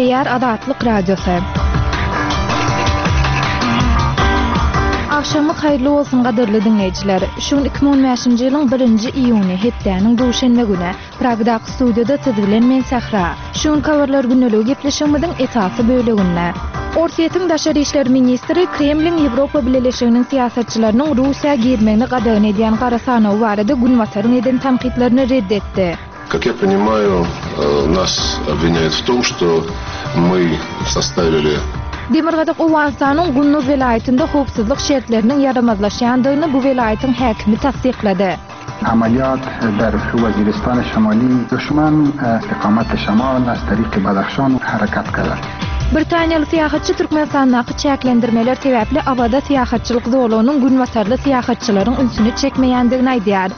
Gepleýär Azatlyk Radiosy. Agşamyňyz haýyrly bolsun gadyrly diňleýjiler. Şu gün 2015-nji ýylyň birinji iýuny, hepdäniň duşenbe güni. Pragdaky studiýada siz bilen men Sähra. Şu günki Habarlar gündeligi gepleşigimiziň esasy böleginde. Orsýetiň daşary işler ministri Kremliň Ýewropa Bileleşiginiň syýasatçylarynyň Russiýa girmegini gadagan edýän gara sanawy barada Günbataryň eden tankytlaryny red etdi. Kak ýa ponimaýu, nas obwinýaýut w tom, şto my sostawili. Demirgazyk Owganystanyň Gunduz welaýatynda howpsuzlyk şertleriniň ýaramazlaşýandygyny bu welaýatyň häkimi tassyklady. Amaliyat der Waziristan Şimali duşman istiqamat şimal az tariq Badakhshan harakat karda. Britaniýaly syýahatçy Türkmenistandaky çäklendirmeler sebäpli Awaza syýahatçylyk zolagynyň günbatarly syýahatçylaryň ünsüni çekmeýändigini aýdýar.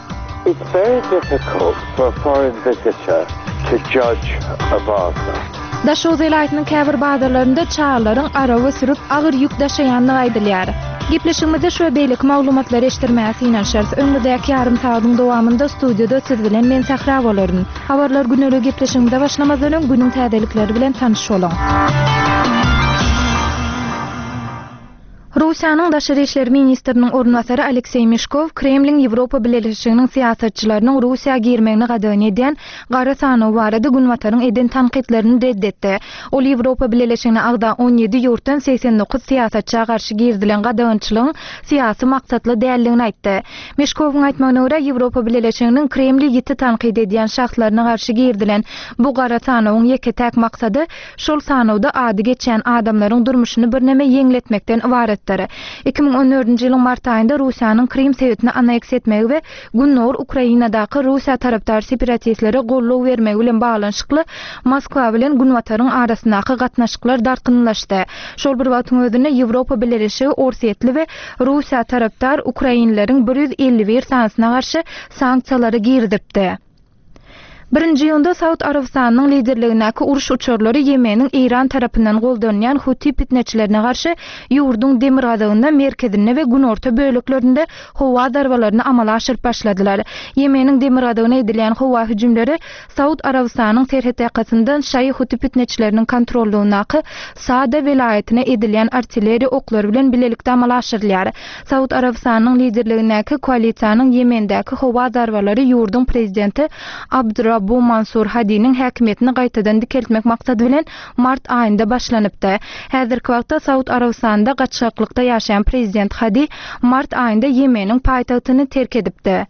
It's very difficult for a foreign visitor to judge a bazaar. Daşoguz welaýatynyň käbir bazarlarynda çagalaryň araba sürüp, agyr ýük daşaýandygy aýdylýar. Gepleşigimizde şu we beýleki maglumatlary eşitdirmäge synanyşarys. Öňümizdäki ýarym sagadyň dowamynda studiýada siz bilen men Sähra bolaryn. Habarlar güneligi gepleşigimize başlamazdan öň günüň täzelikleri bilen tanyş boluň. Russiýanyň daşary işler ministriniň orunbasary Alekseý Meşkow Kremliň Ýewropa Bileleşiginiň syýasatçylarynyň Russiýa girmegini gadagan edýän gara sanawy barada Günbataryň eden tankytlaryny red etdi. Ol Ýewropa Bileleşigine agza 17 ýurtdan 89 syýasatça garşy girizilen gadagançylygyň syýasy maksatly däldigini aýtdy. Meşkowyň aýtmagyna görä, Ýewropa Bileleşiginiň Kremli ýiti tankyt edýän şahslaryna garşy girizilen bu gara sanawyň ýeke-täk maksady Şol sanawda ady geçýän adamlaryň durmuşyny birneme ýeňletmekden ybaratdyr. 2014-nji ýylyň mart aýynda Russiýanyň Krym sebitini anneksiýa etmegi we gündogar Ukrainadaky Russiýa tarapdar separatistlere goldaw bermegi bilen baglanyşykly Moskwa bilen Günbataryň arasyndaky gatnaşyklar dartgynlylaşdy. Şol bir wagtyň özünde Ýewropa Bileleşigi orsýetli we Russiýa tarapdar ukrainlileriň 151 sanysyna garşy sanksiýalary girizipdi. Birinji iýunda Saud Arabystanynyň liderligindäki uruş uçarlary Ýemeniň Eýran tarapyndan goldanylýan Huti pitneçilerine garşy ýurduň demirgazygynda, merkezinde we günorta böleklerinde howa zarbalaryny amala aşyryp başladylar. Ýemeniň demirgazygyna edilýän howa hüjümleri Saud Arabystanyň serhetýakasyndan şaýy huti pitneçileriniň kontrollygyndaky Saada welaýatyna edilýän artilleriýa oklary bilen bilelikde amala aşyrylýar. Saud Arabystanynyň liderligindäki koalisiýanyň Ýemendäki howa zarbalary ýurduň prezidenti Abd-Rabbu Mansur Hadiniň häkimiýetini gaýtadan dikeltmek maksady bilen mart aýynda başlanypdy. Häzirki wagtda Saud Arabystanynda gaçgaklykda ýaşaýan prezident Hadi mart aýynda Ýemeniň paýtagtyny terk edipdi.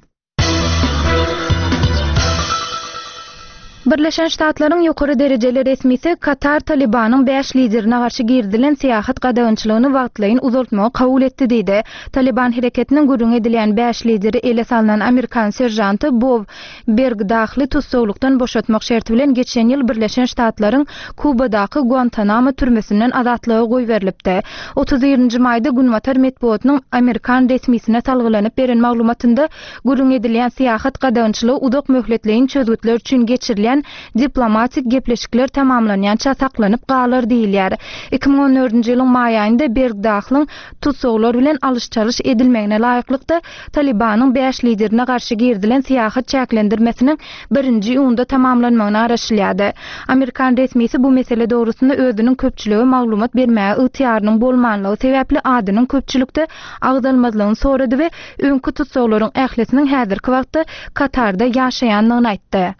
Birleşen Ştatlaryň ýokary derejeli resmisi Katar Talybanyň bäş liderine garşy girizilen syýahat gadagançylygyny wagtlaýyn uzaltmagy kabul etdi diýdi. Talyban hereketiniň gürrüňi edilýän bäş lideri ele salnan amerikan seržanty Bob Bergdahly tussaglykdan boşatmak şerti bilen geçen ýyl Birleşen Ştatlaryň Kubadaky Guantanamo türmesinden azatlyga goýberilipdi. 31-nji maýda günbatar metbugatynyň amerikan resmisine salgylanyp beren maglumatynda gürrüň edilýän syýahat gadagançylygy uzak möhletleýin çözgütler üçin geçirilýän diplomatik gepleşikler tamamlanýança saklanyp galar diýilýär. 2014-nji ýylyň maý aýynda Bergdahlyň tussaglar bilen alyş-çalyş edilmegine laýyklykda Talybanyň bäş liderine garşy girizilen syýahat çäklendirmesiniň birinji iýunda tamamlanmagyna garaşylýardy. Amerikan resmisi bu mesele dogrusynda özüniň köpçülige maglumat bermäge ygtyýarynyň bolmanlygy sebäpli adynyň köpçülikde agzalmazlygyny sorady we öňki tussaglaryň ählisiniň häzirki wagtda Katarda ýaşaýandygyny aýtdy.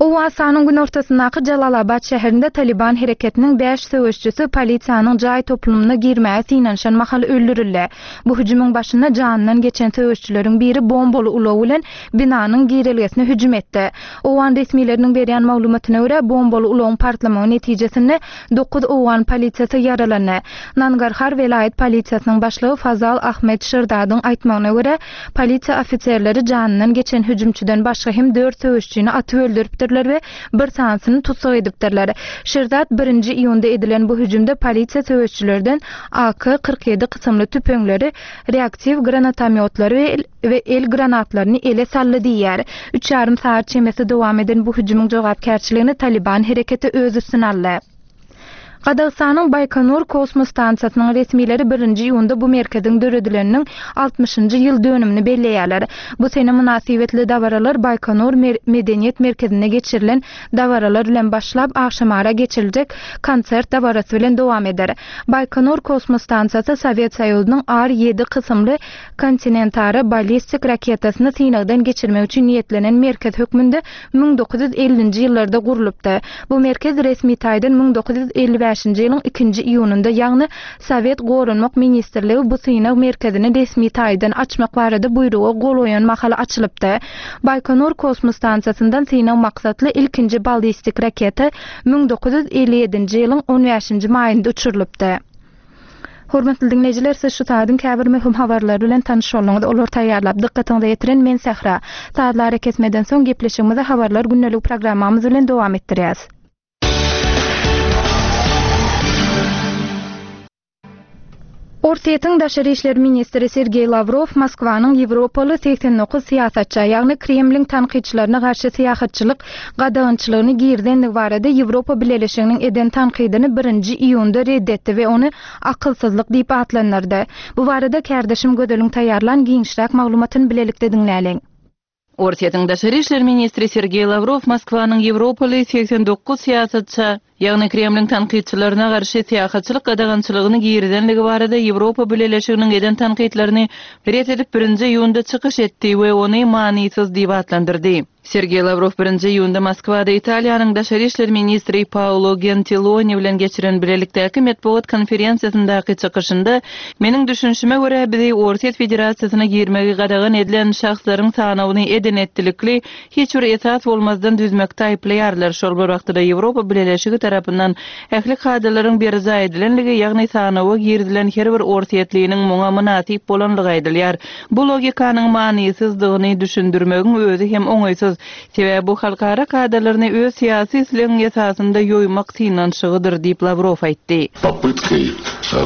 Owganystanyň günortasyndaky Jalalabat şäherinde Talyban hereketiniň bäş söweşijisi polisiýanyň jaý toplumyna girmäge synanyşan mahaly öldürildi. Bu hüjümiň başynda janyndan geçen söweşijileriň biri bombaly ulag bilen binanyň girelgesine hüjüm etdi. Owgan resmileriniň berýän maglumatyna görä, bombaly ulagyň partlamagy netijesinde Dokuz owgan polisiýasy ýaralandy. Nangarhar welaýat polisiýasynyň başlygy Fazal Ahmed Şirdadyň aýtmagyna görä, polisiýa ofiserleri janyndan geçen hüjümçiden başga hem dört söweşijini atyp öldüripdirler we bir sanysyny tussag edipdirler. Şirdad birinji iýunda edilen bu hüjümde polisiýa söweşijilerden AK 47 kysymly tüpeňleri, reaktiw granatomýotlary we we el granatlaryny ele saldy diýýär. Üç ýarym sagat çemesi dowam eden bu hüjümiň jogapkärçiligini Talyban hereketi öz üstüne aldy. Gazagystanyň Baýkonur kosmos stansiýasynyň resmileri birinji iýunda bu merkeziň döredileniniň altmyşynjy ýyl dönümini belleýärler. Bu sene mynasybetli dabaralar Baýkonur medeniýet merkezinde geçirilen dabaralar bilen başlap, agşamara geçiriljek konsert dabarasy bilen dowam eder. Baýkonur kosmos stansiýasy Sowet Soýuzynyň Ar ýedi kysymly kontinentara ballistik raketasyny synagdan geçirmek üçin niýetlenen merkez hökmünde 1950-nji ýyllarda gurlupdy. Bu merkez resmi taýdan 1955-nji ýylyň ikinji iýunynda, ýagny Sowet Goranmak ministrligi bu synag merkezini resmi taýdan açmak barada buýruga gol goýan mahaly açylypdy. Baýkonur kosmos stansiýasyndan synag maksatly ilkinji ballistik raketa 1957-nji ýylyň on bäşinji maýynda uçurylypdy. Hormatly diňleýjiler, siz şu saýtyň käbir möhüm habarlary bilen tanyş bolduňyz. Olary taýýarlap, dykgatyňyza ýetiren men Sähra. Sazly arakesmeden soň gepleşigimizi Habarlar gündeligi programmamyz bilen dowam etdirýäs. Orsýetiň daşary işler ministri Sergeý Lawrow Moskwanyň ýewropaly 89 syýasatça, ýagny Kremliň tankytçylaryna garşy syýahatçylyk gadagançylygyny girizendigi barada Ýewropa Bileleşiginiň eden tankydyny birinji iýunda red etdi we ony akylsyzlyk diýip atlandyrdy. Bu barada kärdeşim Gözeliň taýýarlan giňişräk maglumatyny bilelikde diňläliň. Orsýetiň daşary işler ministri Sergeý Lawrow Moskwanyň ýewropaly 89 syýasatça, ýagny Kremliň tankytçylaryna garşy syýahatçylyk gadagançylygyny girizenligi barada Ýewropa Bileleşiginiň eden tankytlaryny ret edip birinji iýunda çykyş etdi we ony manysyz diýip atlandyrdy. Sergeý Lawrow birinji iýunda Moskwada Italiýanyň daşary işler ministri Paolo Gentiloni bilen geçiren bilelikdäki metbugat konferensiýasyndaky çykyşynda, Meniň düşünişime görä, bizi Orsýet Federasiýasyna girmegi gadagan edilen şahslaryň sanawyny eden-etdilikli, hiç bir esas bolmazdan düzmekde aýyplaýarlar, şol bir wagtda-da Ýewropa Bileleşigi tarapyndan ähli kadalaryň berjaý edilenligi, ýagny sanawa girizilen her bir orsýetliniň muňa mynasyp bolanlygy aýdylýar. Bu logikanyň manysyzdygyny düşündirmegiň özi hem oňaýsyz. Sebäbi bu halkara kadalaryny öz syýasy islegiň esasynda ýoýmak synanyşygydyr diýip, Lawrow aýtdy. Popytkoý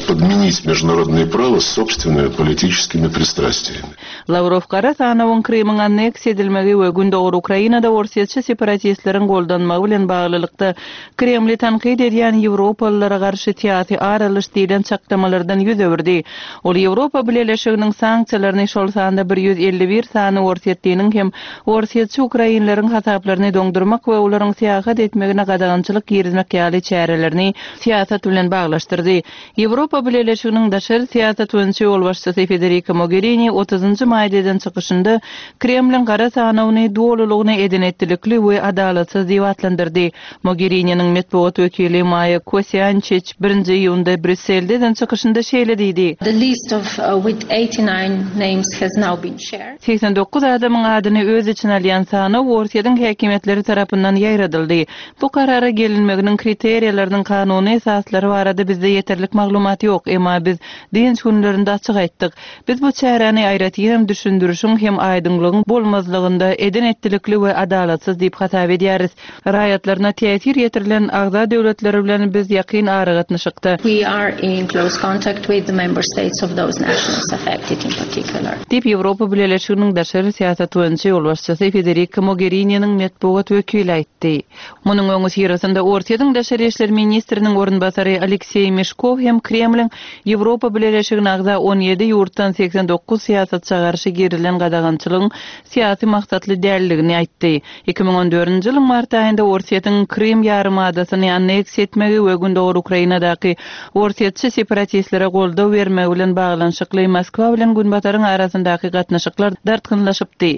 podmenit международное право собственными политическими пристрастиями. Lawrow gara sanawyň Krymyň anneksiýa edilmegi we gündogar Ukrainada orsýetçi separatistleriň goldanmagy bilen baglylykda Kremli tankyt edýän ýewropalylara garşy syýasy ar alyş diýlen çaklamalardan ýüz öwürdi. Ol Ýewropa Bileleşiginiň sanksiýalaryny, şol sanda 151 sany orsýetliniň hem orsýetçi ukrainleriň hasaplaryny doňdurmak we olaryň syýahat etmegine gadagançylyk girizmek ýaly çärelerini syýasat bilen baglaşdyrdy. Ýewropa Bileleşiginiň daşary syýasat boýunça ýolbaşçysy Federika Mogerini otuzynjy maýda eden çykyşynda Kremliň gara sanawyny dolulygyna eden-etdilikli we adalatsyz diýip atlandyrdy. Mogerininiň metbugat wekili Maýa Kosiançiç birinji iýunda Brýusselde eden çykyşynda şeýle diýdi. The list of with 89 names has now been shared. 89 adamyň adyny öz içine alýan sanaw Orsýetiň häkimiýetleri tarapyndan ýaýradyldy. Bu karara gelinmeginiň kriteriýalarynyň kanuny esaslary barada bizde ýeterlik maglumat ýok, emma biz dynç günlerinde açyk aýtdyk. Biz bu çäräni aýratynam düşündirişiň hem aýdyňlygyň bolmazlygynda eden-etdilikli we adalatsyz diýip hasap edýäris. Raýatlaryna täsir ýetirilen agza döwletleri bilen biz ýakyn aragatnaşykda. We are in close contact with the member states of those nationals affected in particular. Diýip, Ýewropa Bileleşiginiň daşary syýasat boýunça ýolbaşçysy Federika Mogerininiň metbugat wekili aýtdy. Munuň öňüsyrasynda Orsýetiň daşary işler ministriniň orunbasary Alekseý Meşkow hem Kremliň Ýewropa Bileleşigine agza 17 ýurtdan 89 syýasatça garşy girizilen gadagançylygyň syýasy maksatly däldigini aýtdy. 2014-nji ýylyň mart aýynda Orsýetiň Krym ýarymadasyny anneksiýa etmegi we gündogar Ukrainadaky orsýetçi separatistlere goldaw bermegi bilen baglanyşykly Moskwa bilen Günbataryň arasyndaky gatnaşyklar dartgynlaşypdy.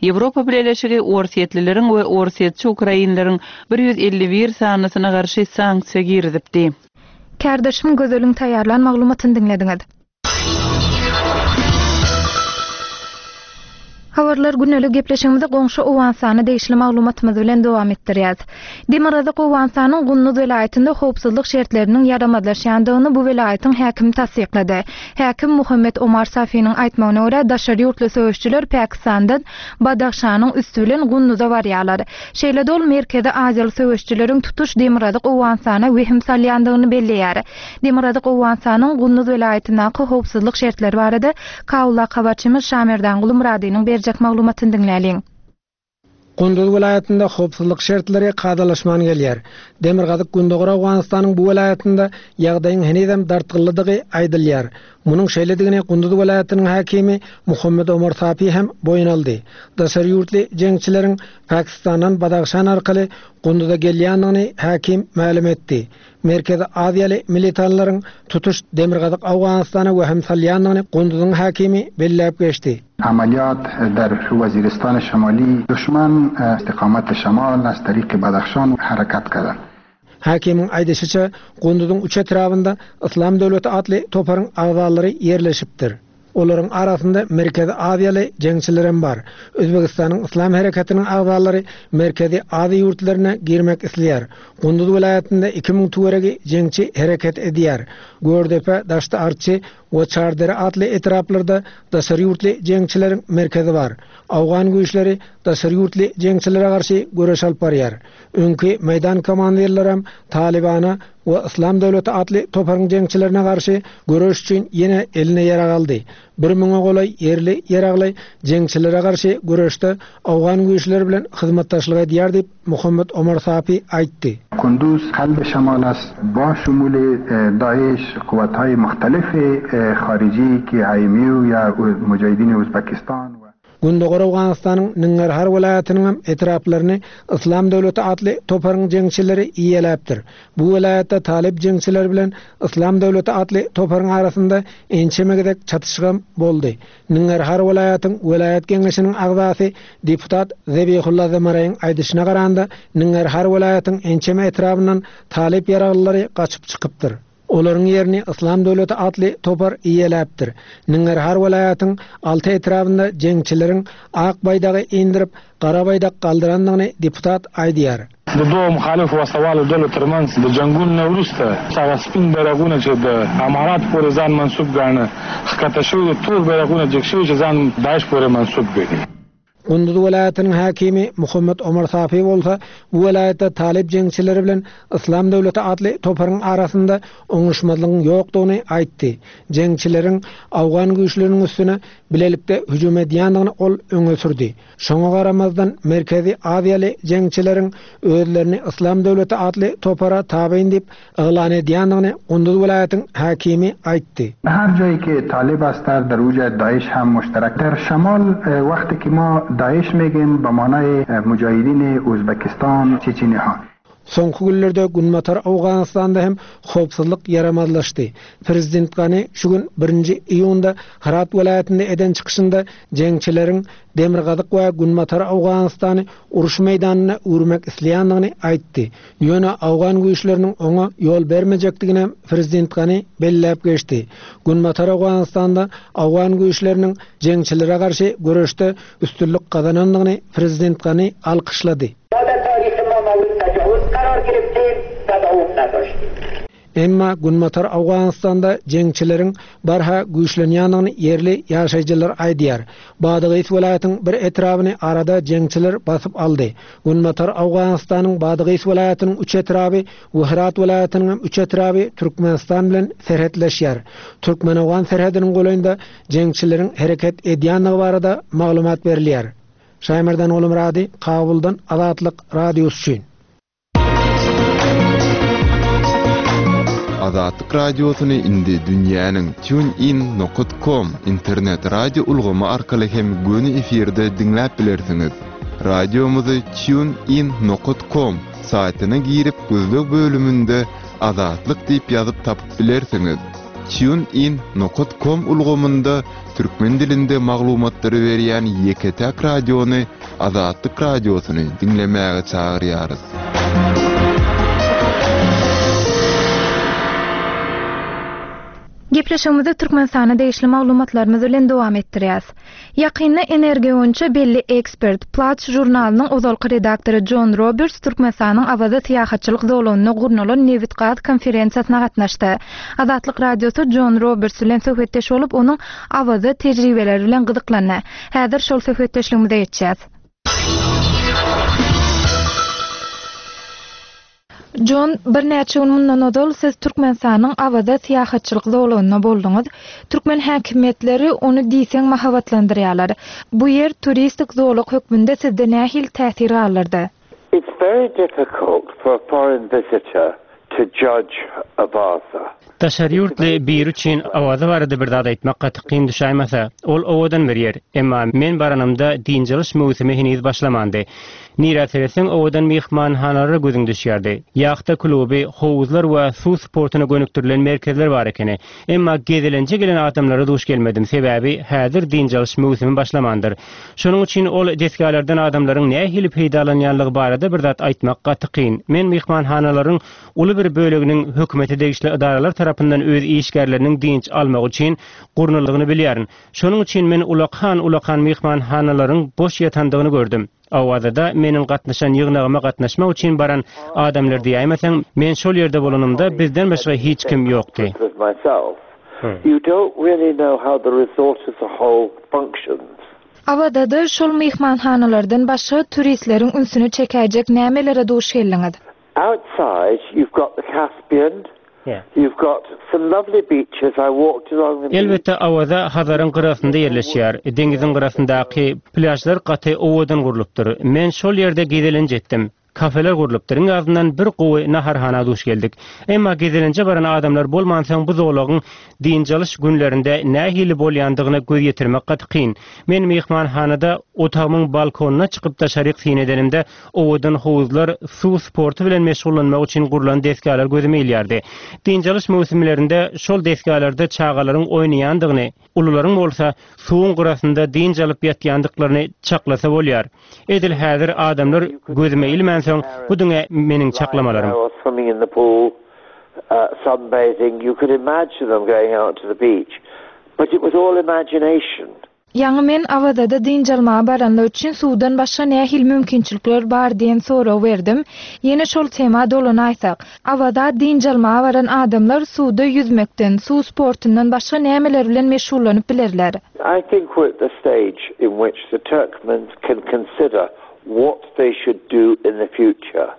Ýewropa Bileleşigi orsýetlileriň we orsýetçi ukrainleriň 151 sanysyna garşy sanksiýa girizipdi. Kärdeşim Gözeliň taýýarlan maglumatyny diňlediňiz. Habarlar gündelik gepleşigimizi goňşy Owganystana degişli maglumatymyz bilen dowam etdirýäs. Demirgazyk Owganystanyň Gunduz welaýatynda howpsuzlyk şertleriniň ýaramazlaşýandygyny bu welaýatyň häkimi tassyklady. Häkim Muhammet Omar Safiniň aýtmagyna görä, daşary ýurtly söweşijiler Pakistandan Badahşanyň üsti bilen Gunduza barýarlar. Şeýle-de ol Merkezi Aziýaly söweşijileriň tutuş Demirgazyk Owganystana wehim salýandygyny belleýär. Demirgazyk Owganystanyň Gunduz welaýatyndaky howpsuzlyk şertleri barada Kabuldaky habarçymyz Şamerdanguly Myradynyň berjek maglumatyny diňläliň. Gunduz welaýatynda howpsuzlyk şertleri kadalaşman gelýär. Demirgazyk-Gündogar Owganystanyň bu welaýatynda ýagdaýyň henizem dartgynlydygy aýdylýar. Munuň şeýledigini Gunduz welaýatynyň häkimi Muhammet Omar Sapi hem boýun aldy. Daşary ýurtly jeňçileriň Pakistandan Badahşan arkaly Gunduza gelýändigini häkim mälim etdi. Merkezi Aziýaly militanlaryň tutuş Demirgazyk Owganystana wehim salýandygyny Gunduzyň häkimi belläp geçdi. Amaliyat der Waziristan Şamali duşman istiqamat Şamal az tariq Badakhshan harakat kardan. Häkimiň aýdyşyça, Gunduzyň üç etrabynda Yslam döwleti atly toparyň agzalary ýerleşipdir. Olaryň arasynda Merkezi Aziýaly jeňçilerem bar. Özbegistanyň Yslam hereketiniň agzalary Merkezi Aziýa ýurtlaryna girmek isleýär. Gunduz welaýatynda 2000 töweregi jeňçi hereket edýär. Gördepe, Daşty-Arçy we Çardere atly etraplarda daşary ýurtly jeňçileriň merkezi bar. Owgan güýçleri daşary ýurtly jeňçilere garşy göreş alyp barýar. Öňki meýdan komandirlerem Talybana we Yslam döwleti atly toparyň jeňçilerine garşy göreş üçin ýene eline ýarag aldy. Bir müňe golaý ýerli ýaragly jeňçilere garşy göreşde owgan güýçleri bilen hyzmatdaşlyk edýär diýip, Muhammet Omar Sapi aýtdy. Kunduz kalb şemal ast ba şumul Daeş quwwathay muhtalif hariji ki IMU ya mujahidin Uzbekistan we. Gündogar Owganystanyň Ningarhar welaýatynyňam etraplaryny Yslam döwleti atly toparyň jeňçileri eýeläpdir. Bu welaýatda talyp jeňçileri bilen Yslam döwleti atly toparyň arasynda ençeme gezek çatyşygam boldy. Ningarhar welaýatyň welaýat geňeşiniň agzasy deputat Zebihulla Zemaraýyň aýdyşyna garanda, Ningarhar welaýatyň ençeme etrabyndan talyp ýaraglylary gaçyp çykypdyr. Olaryň ýerini Yslam döwleti atly topar eýeläpdir. Ningarhar welaýatyň alty etrabynda jeňçileriň ak baýdagy indirip, gara baýdak galdyrandygyny deputat aýdýar. د دوو مخالفو وسله والو ډلو ترمنځ د جنګونو نه وروسته هغه سپین بیرغونه چې د امارات پورې ځان منسوب ګاڼه ښکته شوي دي، تور بیرغونه جګ شوي چې ځان داعش پورې منسوب ګڼي. Gunduz welaýatynyň häkimi Muhammet Omar Safi bolsa bu welaýatda talyp jeňçileri bilen Yslam döwleti atly toparyň arasynda oňuşmazlygyň ýokdugyny aýtdy. Jeňçileriň owgan güýçleriniň üstüne bilelikde hüjüm edýändigini ol öňe sürdi. Şoňa garamazdan, Merkezi Aziýaly jeňçileriň özlerini Yslam döwleti atly topara tabyn diýip yglan edýändigini Gunduz welaýatyň häkimi aýtdy. Her jaýy ki Talib astar der uja Daeş hem muşterek der şemal wexti ki ma Daeş megin be manayê Mujahidînê Uzbekistan Çeçenîha. Soňky günlerde Günbatar Owganystanda hem howpsuzlyk ýaramazlaşdy. Prezident Gani şu gün birinji iýunda Hyrat welaýatynda eden çykyşynda jeňçileriň Demirgazyk we Günbatar Owganystany uruş meýdanyna öwürmek isleýändigini aýtdy. Ýöne owgan güýçleriniň oňa ýol bermejekdiginem prezident Gani belläp geçdi. Günbatar Owganystanda owgan güýçleriniň jeňçilere garşy göreşde üstünlik gazanandygyny prezident Gani alkyşlady. Emma Günbatar Owganystanda jeňçileriň barha güýçlenýändigini ýerli ýaşaýjylar aýdýar. Badagys welaýatyň bir etrabyny arada jeňçiler basyp aldy. Günbatar Owganystanyň Badagys welaýatynyň üç etraby we Hyrat welaýatynyň hem üç etraby Türkmenistan bilen serhetleşýär. Türkmen-owgan serhediniň golaýynda jeňçileriň hereket edýändigi barada maglumat berilýär. Şaýmerdan Gulumyrady, Kabuldan Azatlyk Radiosy üçin. Azatlyk Radiosyny indi dünýäniň TuneIn nokat com internet radio ulgamy arkaly hem göni efirde diňläp bilersiňiz. Radiomyzy TuneIn nokat com saýtyna girip gözleg bölüminde Azatlyk diýip ýazyp tapyp bilersiňiz. TuneIn nokat com ulgamynda türkmen dilinde maglumatlary berýän ýeke-täk radiony Azatlyk Radiosyny diňlemäge çagyrýarys. Gepleşigimizi Türkmenistana degişli maglumatlarymyz bilen dowam etdirýäs. Ýakynda energiýa boýunça belli ekspert, Platts žurnalynyň ozalky redaktory Jon Roberts Türkmenistanyň Awaza syýahatçylyk zolagynda gurnalan nebit-gaz konferensiýasyna gatnaşdy. Azatlyk Radiosy Jon Roberts bilen söhbetdeş bolup, onuň Awaza tejribeleri bilen gyzyklandy. Häzir şol söhbetdeşligimize geçýäs. Jon, birnäçe gün mundan ozal siz Türkmenistanyň Awaza syýahatçylyk zolagynda bolduňyz. Türkmen häkimiýetleri ony diýseň mahabatlandyrýarlar. Bu ýer turistik zolak hökmünde sizde nähili täsir galdyrdy? It's very difficult for a foreign visitor to judge Awaza. Daşary ýurtly biri üçin Awaza barada bir zat aýtmak gaty kyn düşäýmese. Ol owadan bir ýer. Emma men baranymda dynç alyş möwsümi heniz başlamandy. Nirä seretseň owadan myhmanhanalara gözüň düşýärdi. Ýahta kluby, howuzlar we suw sportuna gönükdirilen merkezler bar ekeni. Emma gezelenje gelen adamlara duş gelmedim, sebäbi häzir dynç alyş möwsümi başlamandyr. Şonuň üçin ol desgalardan adamlaryň nähili peýdalanýanlygy barada bir zat aýtmak gaty kyn. Men myhmanhanalaryň uly bir böleginiň hökümete degişli edaralar tarapyndan öz işgärleriniň dynç almagy üçin gurnaldygyny bilýärin. Şonuň üçin men ulakan-ulakan myhmanhanalaryň boş ýatandygyny gördüm. Awazada meniň gatnaşan ýygnagyma gatnaşmak üçin baran adamlar diýäýmeseň, men şol ýerde bolanymda bizden başga hiç kim ýokdy. Awazada şol myhmanhanalardan başga turistleriň ünsüni çekäýjek nämelere duş geldiňiz? Outside you've got the Caspian, you've got some lovely beaches, I walked along the beach. Elbetde Awaza Hazaryň gyrasynda ýerleşýär. Deňiziň gyrasyndaky plýažlar gaty owadan gurlupdyr. Men şol ýerde gezelenç etdim. Kafeler gurlupdyr, iň azyndan bir gowy naharhana duş geldik. Emma gezelenje baran adamlar bolmansoň bu zolagyň dynç alyş günlerinde nähili bolýandygyna göz ýetirmek gaty kyn. Men myhmanhanada otagymyň balkonyna çykyp daşaryk syn edenimde Owadan howuzlar, suw sporty bilen meşgullanmak üçin gurlan desgalar gözüme ilýärdi. Dynç alyş möwsümlerinde şol desgalarda çagalaryň oýnaýandygyny, ulularyň bolsa suwuň gyrasynda dynç alyp ýatýandyklaryny çaklasa bolýar. Edil häzir adamlar gözüme ilmänsoň, bu diňe meniň çaklamalarym. Ýaňy men Awazada dynç almaga baranlar üçin suwdan başga nähili mümkinçilikler bar diýen soragy berdim. Ýene şol tema dolanaýsak. Awaza dynç almaga baran adamlar suwda ýüzmekden, suw sportundan başga nämeler bilen meşgullanyp bilerler? I think we're at the stage in which the Turkmens can consider what they should do in the future.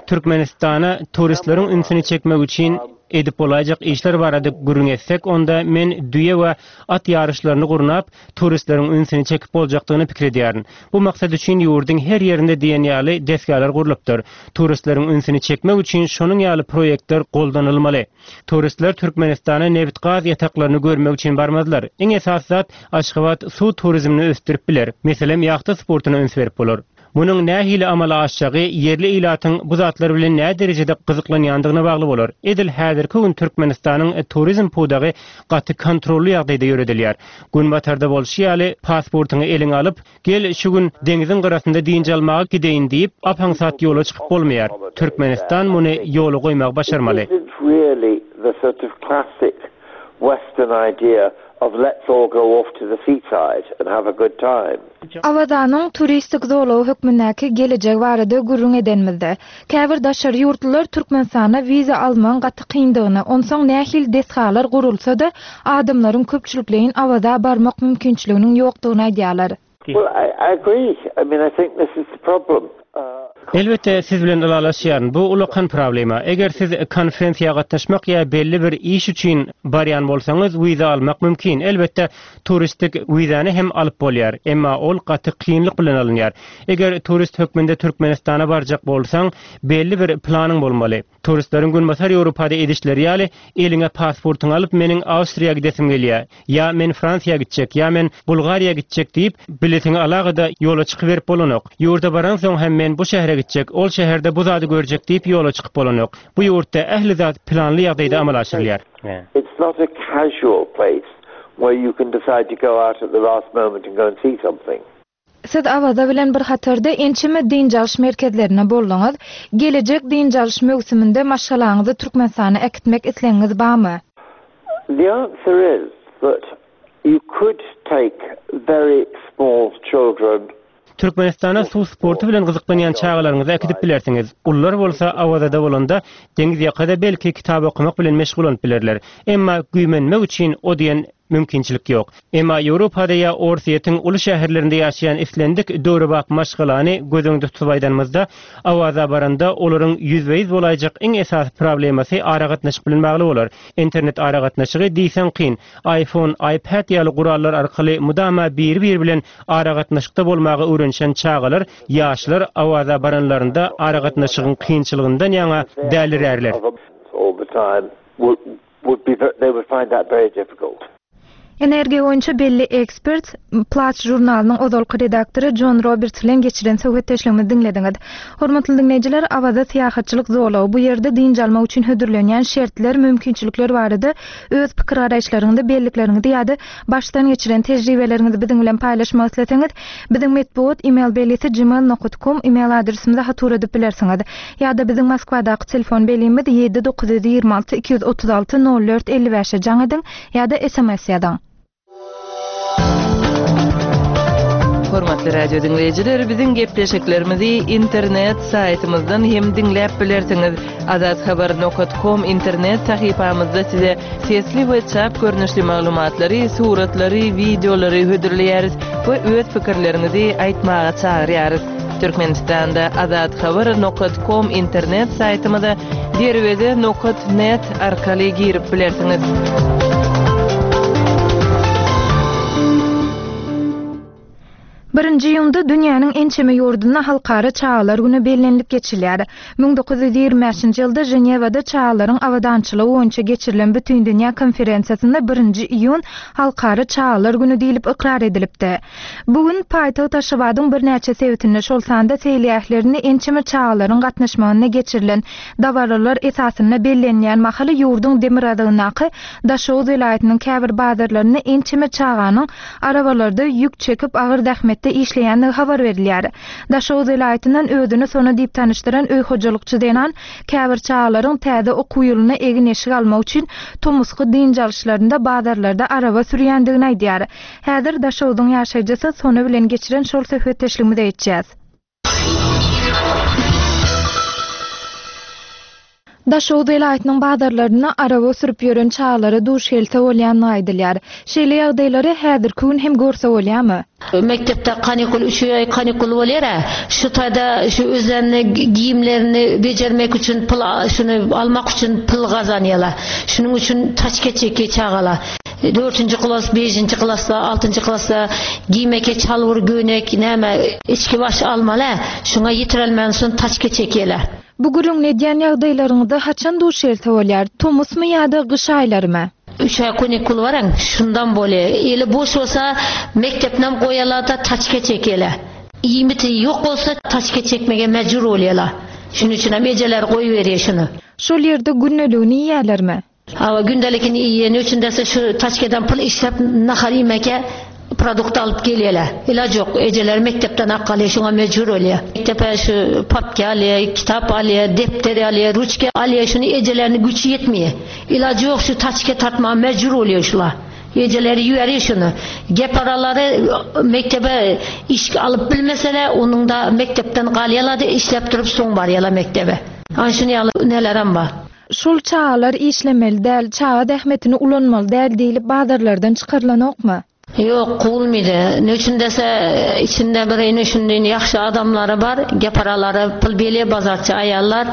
Türkmenistana turistleriň ünsüni çekmek üçin edip bolaýjak işler barada gürrüň etsek, onda men düýe we at ýaryşlaryny gurnap, turistleriň ünsüni çekip boljakdygyny pikir edýärin. Bu maksat üçin ýurduň her ýerinde diýen ýaly desgalar gurlupdyr. Turistleriň ünsüni çekmek üçin şonuň ýaly proýektler goldanylmaly. Turistler Türkmenistana nebit-gaz ýataklaryny görmek üçin barmazlar. Iň esasy zat, Aşgabat suw turizmini ösdürip biler. Meselem, ýahta sportuna üns berip bolar. Munuň nähili amala aşjagy ýerli ilatyň bu zatlar bilen näderejede gyzyklanýandygyna bagly bolar. Edil häzirki gün Türkmenistanyň turizm pudagy gaty kontrolly ýagdaýda ýöredilýär. Günbatarda bolşy ýaly, pasportyňy eliňe alyp, gel şu gün deňziň gyrasynda dynç almaga gideýin diýip, ap-aňsat ýola çykyp bolmaýar. Türkmenistan muny ýola goýmagy başarmaly. Of let's all go off to the seaside and have a good time. Awazanyň turistik zolagy hökmündäki gelejegi barada gürrüň edenimizde, käbir daşary ýurtlular Türkmenistana wiza almagyň gaty kyndygyny, onsoň nähili desgalar gurulsa-da, adamlaryň köpçülikleýin Awaza barmak mümkinçiliginiň ýokdugyny aýdýarlar. Well, I, I agree. I mean, I think this is the problem. Elbetde, siz bilen ylalaşýaryn. Bu ullakan problema. Eger siz konferensiýa gatnaşmak ýa belli bir iş üçin barýan bolsaňyz, wiza almak mümkin. Elbetde, turistik wizany hem alyp bolýar. Emma ol gaty kynlyk bilen alynýar. Eger turist hökmünde Türkmenistana barjak bolsaň, belli bir planyň bolmaly. Turistleriň Günbatar Ýewropada edişleri ýaly, eliňe pasportyňy alyp meniň Awstriýa gidesim gelýär, ýa men Fransiýa gitjek, ýa men Bulgariýa gitjek diýip, biletiňi alaga-da ýola çykyberip bolanok. Ýurda baransoň hem men bu şähere gitjek, ol şäherde bu zady görjek diýip ýola çykyp bolanok. Bu ýurtda ähli zat planly ýagdaýda amala aşyrylýar. It's not a casual place where you can decide to go out at the last moment and go and see something. Siz Awaza bilen bir hatarda ençeme dynç alyş merkezlerinde bolduňyz. Gelejek dynç alyş möwsüminde maşgalaňyzy Türkmenistana äkitmek islegiňiz barmy? The answer is that you could take very small children. Türkmenistana suw sporty bilen gyzyklanýan çagalaryňyzy äkidip bilersiňiz. Ulular bolsa Awazada bolanda deňiz ýakada belki kitap okamak bilen meşgullanyp bilerler. Emma güýmenmek üçin o diýen. mümkinçilik ýok. Emma Ýewropada ýa Orsýetiň uly şäherlerinde ýaşaýan islendik döwrebap maşgalany göz öňünde tutup aýdanymyzda, Awaza baranda olaryň ýüzbe-ýüz bolaýjak iň esasy problemasy aragatnaşyk bilen bagly bolar. Internet aragatnaşygy diýseň kyn. IPhone, iPad ýaly gurallar arkaly mydama biri-biri bilen aragatnaşykda bolmaga öwrenişen çagalar, ýaşlar Awaza baranlarynda aragatnaşygyň kynçylygyndan ýaňa dälirärler. Would be they would find that very difficult. Energiýa boýunça belli ekspert, Platts žurnalynyň ozalky redaktory Jon Roberts bilen geçiren söhbetdeşligimizi diňlediňiz. Hormatly diňleýjiler, Awaza syýahatçylyk zolagy, bu ýerde dynç almak üçin hödürlenýän şertler, mümkinçilikler barada öz pikir-garaýyşlaryňyzy, bellikleriňizi ýa-da başdan geçiren tejribeleriňizi biziň bilen paýlaşmak isleseňiz, biziň metbugat email belgisi gmail nokat kom email adresimize hat ugradyp bilersiňiz. Ýa-da biziň Moskwadaky telefon belgimiz 7 926 236 04 55-e jaň ediň ýa-da sms ýazyň. Hormatly radio diňleýjiler, biziň gepleşiklerimizi internet saýtymyzdan hem diňläp bilersiňiz. Azathabar nokat kom internet sahypamyzda size sesli we çap görnüşli maglumatlary, suratlary, wideolary hödürleýäris we öz pikirleriňizi aýtmaga çagyrýarys. Türkmenistanda Azathabar nokat kom internet saýtymyza Derweze nokat net arkaly girip bilersiňiz. Birinji iýunda dünýäniň ençeme ýurdunda Halkara çagalar güni bellenilip geçilýär. 1925-nji ýylda Ženewada çagalaryň abadançylygy boýunça geçirilen Bütindünýä konferensiýasynda birinji iýun Halkara çagalar güni diýlip ykrar edilipdi. Bu gün paýtagt Aşgabadyň birnäçe sebitinde, şol sanda seýilgählerinde ençeme çagalaryň gatnaşmagynda geçirilen dabaralar esasynda bellenilýän mahaly ýurduň demirgazygyndaky Daşoguz welaýatynyň käbir bazarlarynda ençeme çaganyň arabalarda ýük çekip agyr zähmetde işleýändigi habar berilýär. Daşoguz welaýatyndan özüni Sona diýip tanyşdyran öý hojalykçy zenan käbir çagalaryň täze okuw ýylyna egin-eşik almak üçin tomusky dynç alyşlarynda bazarlarda araba sürýändigini aýdýar. Häzir Daşoguzyň ýaşaýjysy Sona bilen geçiren şol söhbetdeşligimize geçýäs. Daşoguz welaýatynyň bazarlarynda araba sürüp ýören çagalara duş gelse bolýandygy aýdylýar. Şeýle ýagdaýlary häzirki gün hem görse bolýarmy? Mekdepde kanikul üç aý kanikul bolýar-a. Şu taýda şu özlerini geýimlerini bejermek üçin pul şuny almak üçin pul gazanýarlar. Şunuň üçin taçka çekýär çagalar. Dördünji klas, beşinji klasda, altynjy klasda giýmeke çalbur, göýnek, näme, içki baş almaly-ä. Şuňa ýetirelmänsoň taçka çekýärler. Bu gürrüňini edýän ýagdaýlaryňyza haçan duş gelse bolýar? Tomusmy ýa-da gyş aýlarymy? Üç aý kanikul baran, şundan bolýar. Eli boş bolsa, mekdepnem goýarlar-da, taçka çekýärler. Iýmiti ýok bolsa, taçka çekmege mejbur bolýarlar. Şunuň üçinem ejeler goýberýär şuny. Şol ýerde gündeligini iýýärlermi? Hawa gündelikini iýeni üçin dese şu taçkadan pul işläp nahar iýmeke produkt alyp gelýäler. Ilaç ýok. Ejeleri mekdepden ak alýar şoňa mejbur bolýar. Mekdepe şu papka alýar, kitap alýar, depder alýar, ruçka alýar şuny ejeleriniň güýçi ýetmeýär. Ilajy ýok şu taçka tartmaga mejbur bolýar şular. Ejeleri ýüberýär şuny. Geparalary mekdebe iş alyp bilmeseler onuňda mekdepden galýarlar-da işläp durup soň barýarlar mekdebe. Ana şuny ýaly nelerem bar. Şol çagalar işlemeli däl, çaga zähmetini ulanmaly däl diýlip bazarlardan çykarylanokmy? Ýok, kowulmydy. Ne üçin dese, içinde bir ine şundaýyn ýagşy adamlary bar, geparalary pul berýär bazarçy aýallar.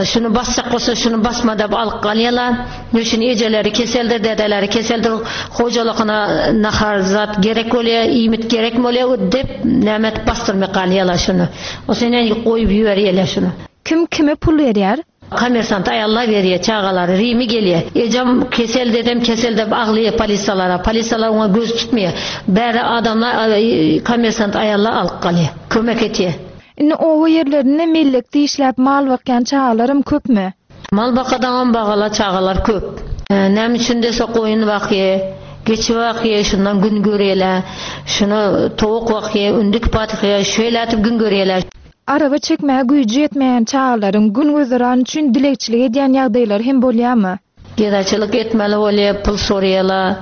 Şuny basjak bolsa şuny basma diýip alyp galýarlar. Ne üçin ejeleri keseldir, dedeleri keseldir, hojalygyna nahar zat gerek bolýar, iýmit gerek bolýar diýip näme edip basdyrmay galýarlar şuny. O senen goýup ýüberýärler şuny. Kim kime pul berýär? Kommersant aýallar berýär çagalary Rimi gelýär. Ejem kesel dedem kesel dep aglaýar polisiýalara. Polisiýalar oňa göz tutmaýar. Bäri adamlar kommersant aýallar alyp galýar. Kömek etýär. Indi oba ýerlerinde mellekde işläp mal bakýan çagalaram köpmi? Mal bakadaňam bagala çagalar köp. Näme üçin dese goýun bakýar, geçi bakýar, şundan gün görýärler. Şuny towuk bakýar, ündük bakýar, şeýle edip gün görýärler. Araba çekmäge güýji ýetmeýän çagalaryň gün-güzeran üçin dilegçilik edýän ýagdaýlary hem bolýarmy? Gedaçylyk etmeli bolýar, pul soraýarlar.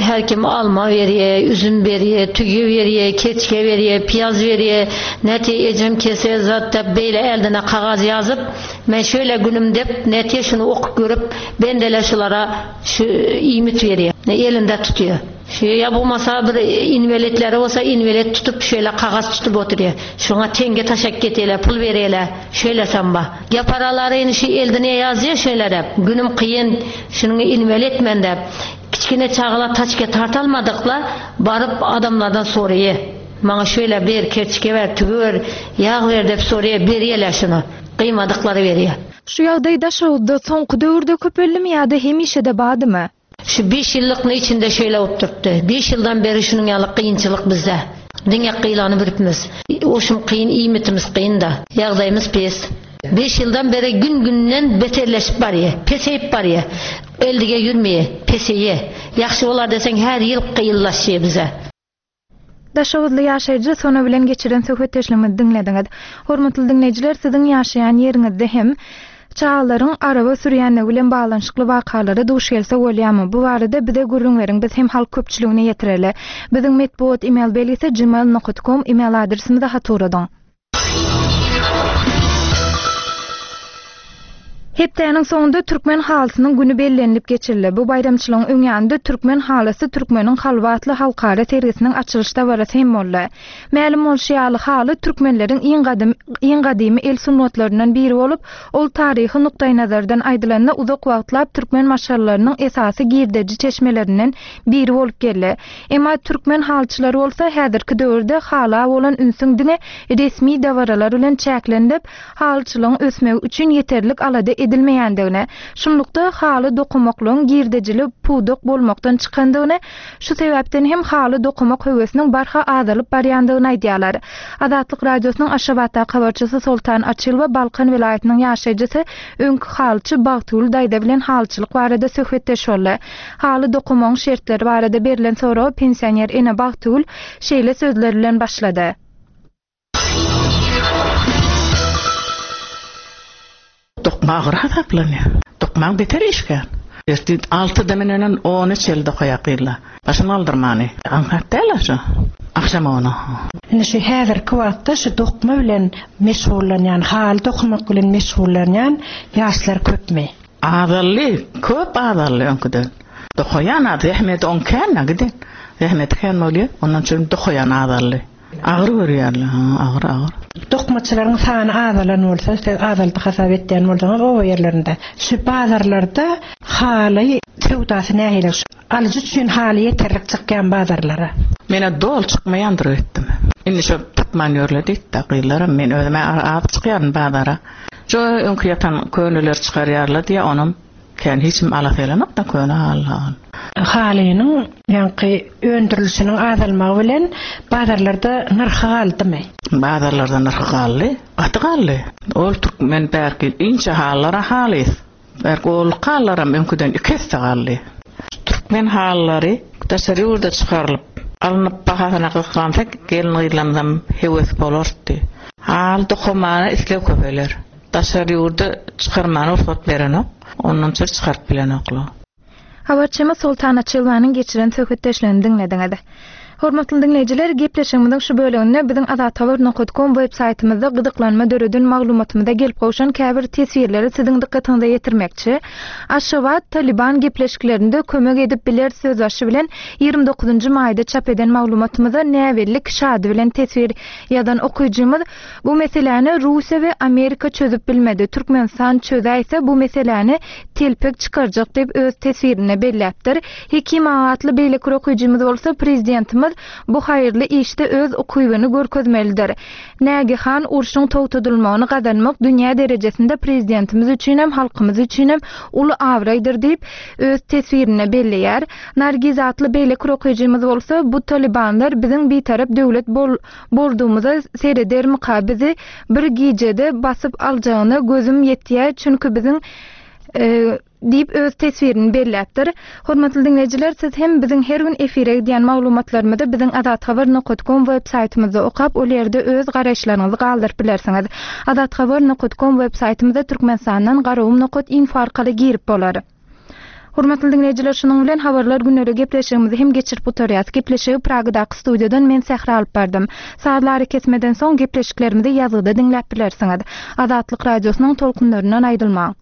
Her kim alma berýär, üzüm berýär, tüýe berýär, keçke berýär, piýaz berýär. Nätje ejem kesel zat dep beýle eldine kagaz ýazyp, men şeýle günüm dep, nätje şuny okyp görüp, bendeler şulara şu iýmit berýär. Elinde tutýar. Şu ýa bolmasa bir inwelitleri bolsa inwelit tutup şeýle kagyz tutup oturýar. Şoňa teňňe taşak getirýärler, pul berýärler. Şeýlesem bar. Ýa paralaryny şu eldine ýazýar şeýle dep. Günüm kyn, şunuňy inwelit men dep. Kiçgine çagalar taçka tartalmadyklar, baryp adamlardan soraýar. Maňa şeýle ber, kerçge ber, tüwi ber, ýag ber dep soraýar, berýärler şuny. Gyýmadyklary berýär. Şu ýagdaý Daşoguzda soňky döwürde köpeldimi ýa-da hemişe-de bardymy? Şu beş ýyllykny içinde şeýle bolup durupdy. Beş ýyldan beri şunuň ýaly kynçylyk bizde. Diňe gylany bilipmiz. Oşum kyn, iýmitimiz kyn-da. Ýagdaýymyz pes. Beş ýyldan beri gün-günden beterleşip barýa. Peseýip barýa. Eldige ýürmeýä. Peseýä. Ýagşy bolar deseň her ýyl kynlaşýa bize. Daşoguzly ýaşaýjy Sona bilen geçiren söhbetdeşligimizi diňlediňiz. Hormatly diňleýjiler, siziň ýaşaýan ýeriňizde hem çagalaryň araba sürýänligi bilen baglanyşykly wakalara duş gelse bolýarmy? Bu barada bize gürrüň beriň, biz hem halk köpçüligine ýetireli. Biziň metbugat email belgisi gmail nokat kom email adresimize hat ugradyň. Hepdäniň soňunda Türkmen halysynyň güni bellenilip geçirildi. Bu baýramçylygyň öň ýanynda Türkmen halysy türkmeniň kalby atly halkara sergisiniň açylyş dabarasy hem boldy. Mälim bolşy ýaly, haly türkmenleriň iň gadym iň gadymy el sungatlaryndan biri bolup, ol taryhy nukdaýnazardan aýdylanda uzak wagtlap türkmen maşgalalarynyň esasy girdeji çeşmelerinden biri bolup geldi. Emma türkmen halyçylary bolsa häzirki döwürde hala bolan ünsüň diňe resmi dabaralar bilen çäklenilip, halyçylygyň ösmegi üçin ýeterlik alada edilmeýändigini, şunlukda haly dokamaklygyň girdejili pudak bolmakdan çykandygyny, şu sebäpden hem haly dokamak höwesiniň barha azalyp barýandygyny aýdýarlar. Azatlyk Radiosynyň Aşgabatdaky habarçysy Soltan Açylowa Balkan welaýatynyň ýaşaýjysy, öňki halyçy Bagtygül daýza bilen halyçylyk barada söhbetdeş boldy. Haly dokamagyň şertleri barada berlen soraga pensioner ene Bagtygül şeýle sözler bilen başlady. Dokma agyr hasaplanýar. Dokmaň beter işgär. Ertir altyda münenen ona çenli dokaýar gyzlar. Başyny galdyrmany. Aňsat däl-ä şu. Agşam ona. Indi şu häzirki wagtda şu dokma bilen meşgullanýan, haly dokamak bilen meşgullanýan ýaşlar köpmi? Azaldy, köp azaldy öňküden. Dokaýan az, zähmeti oň kän-ä giden. Zähmeti kän bolýar, ondan üçin dokaýan azaldy. Agyr görýärler, ha, agyr, agyr. Dokmaçylaryň sany azalan bolsa, siz azaldy hasap etýän bolsaňyz oba ýerlerinde, şu bazarlarda haly söwdasy nähili? Şu alyjy üçin haly ýeterlik çykýan bazarlara? Menä doly çykmaýandyr öýtdüm. Indi şo tapman ýörler diýdi-de gyzlaram, men özüm-ä az çykýaryn bazara. Şo öňki ýatan köneleri çykarýarlar diýýär, onam kän hiç kim alasy gelenok-da köne haly. Halynyň ýaňky öndürilişiniň azalmagy bilen bazarlarda nyrhy galdymy? Bazarlarda nyrhy galdy, gaty galdy. Ol türkmen bärki inçe halylar-a halys. Bärki olluk halylaram öňküden iki esse galdy. Türkmen halylary daşary ýurda çykarylyp, alnyp bahasyna gysgansa gelin-gyzlarymyzam höwes bolardy. Haly dokamana isleg köpeler. Daşary ýurda çykarmana rugsat berenok. Ondan çyr çykaryp bilenoklar. Habarçymyz Soltan Açylowanyň geçiren söhbetdeşligini diňlediňiz. Hormatly diňleýjiler, gepleşigimiziň şu böleginde biziň azathabar nokat kom web saýtymyzda gyzyklanma döreden maglumatymyza gelip gowşan käbir teswirleri siziň dykgatyňyza ýetirmekçi. Aşgabat, Talyban gepleşiklerinde kömek edip biler sözbaşy bilen 29-njy maýda çap eden maglumatymyza näbelli kişi ady bilen teswir ýazan okyjymyz Bu meseläni Russiýa we Amerika çözüp bilmedi, Türkmenistan çözäýse bu meseläni telpek çykarjak diýip öz teswirinde belläpdir. Hekim aga atly beýleki bir okyjymyz bolsa Prezidentimiz bu haýyrly işde öz ukybyny görkezmelidir. Nägehan urşuň togtadylmagyny gazanmak dünýä derejesinde prezidentimiz üçinem halkymyz üçinem uly abraýdyr diýip öz teswirinde belleýär. Nargiz atly beýleki bir okyjymyz bolsa Bu talibanlar biziň bitarap döwlet bol Boldugymyza seredermika bizi bir gijede basyp aljagyna gözüm ýetýä çünki biziň diýip öz teswirini belläpdir. Hormatly diňleýjiler siz hem biziň her gün efire gidýän maglumatlarymyzy biziň azathabar nokat kom web saýtymyzda okap ol ýerde öz garaýyşlaryňyzy galdyryp bilersiňiz. Azathabar nokat kom web saýtymyza Türkmenistandan garagum nokat info arkaly girip bolar. Hormatly diňleýjiler şunuň bilen Habarlar günleri gepleşigimizi hem geçirip gutarýas. Gepleşigi Pragadaky studiýadan men Sähra alyp bardym. Sazly arakesmeden soň gepleşiklerimizi ýazgyda diňläp bilersiňiz. Azatlyk Radiosynyň tolkunlaryndan aýrylmaň.